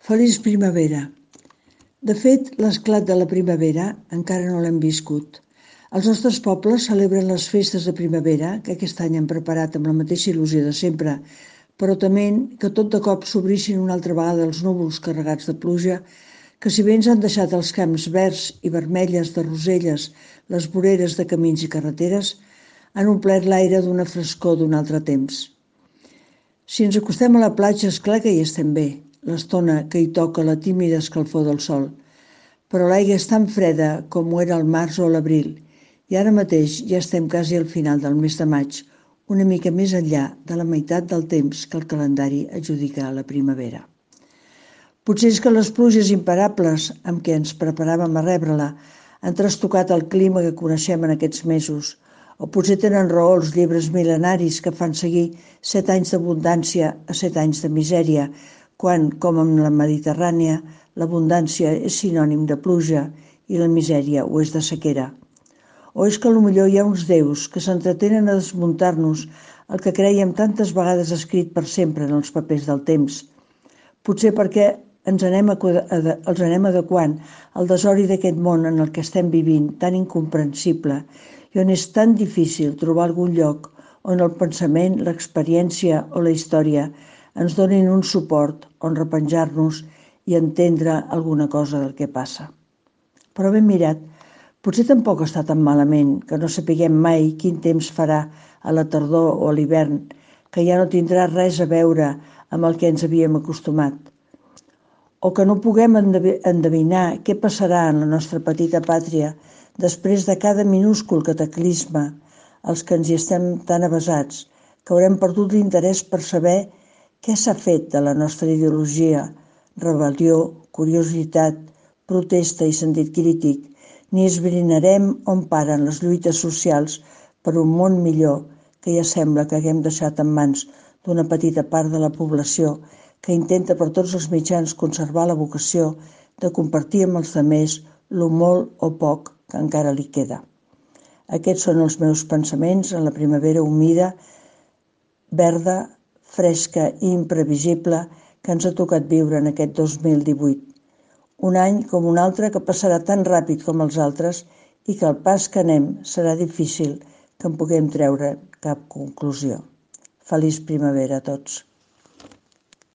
Feliç primavera. De fet, l'esclat de la primavera encara no l'hem viscut. Els nostres pobles celebren les festes de primavera, que aquest any han preparat amb la mateixa il·lusió de sempre, però tement que tot de cop s'obrissin una altra vegada els núvols carregats de pluja, que si bé ens han deixat els camps verds i vermelles de roselles, les voreres de camins i carreteres, han omplert l'aire d'una frescor d'un altre temps. Si ens acostem a la platja, és clar que hi estem bé, l'estona que hi toca la tímida escalfor del sol. Però l'aigua és tan freda com ho era al març o a l'abril, i ara mateix ja estem quasi al final del mes de maig, una mica més enllà de la meitat del temps que el calendari adjudica a la primavera. Potser és que les pluges imparables amb què ens preparàvem a rebre-la han trastocat el clima que coneixem en aquests mesos, o potser tenen raó els llibres mil·lenaris que fan seguir 7 anys d'abundància a 7 anys de misèria, quan, com amb la Mediterrània, l'abundància és sinònim de pluja i la misèria ho és de sequera. O és que potser hi ha uns déus que s'entretenen a desmuntar-nos el que crèiem tantes vegades escrit per sempre en els papers del temps. Potser perquè els anem adequant al desori d'aquest món en el que estem vivint, tan incomprensible, i on és tan difícil trobar algun lloc on el pensament, l'experiència o la història ens donin un suport on repenjar-nos i entendre alguna cosa del que passa. Però ben mirat, potser tampoc està tan malament que no sapiguem mai quin temps farà a la tardor o a l'hivern, que ja no tindrà res a veure amb el que ens havíem acostumat. O que no puguem endevinar què passarà en la nostra petita pàtria després de cada minúscul cataclisme, els que ens hi estem tan avesats, que haurem perdut l'interès per saber què s'ha fet de la nostra ideologia, rebel·lió, curiositat, protesta i sentit crític, ni esbrinarem on paren les lluites socials per un món millor que ja sembla que haguem deixat en mans d'una petita part de la població que intenta per tots els mitjans conservar la vocació de compartir amb els altres lo molt o poc que encara li queda. Aquests són els meus pensaments en la primavera humida, verda, fresca i imprevisible que ens ha tocat viure en aquest 2018. Un any com un altre que passarà tan ràpid com els altres i que al pas que anem serà difícil que en puguem treure cap conclusió. Feliç primavera a tots.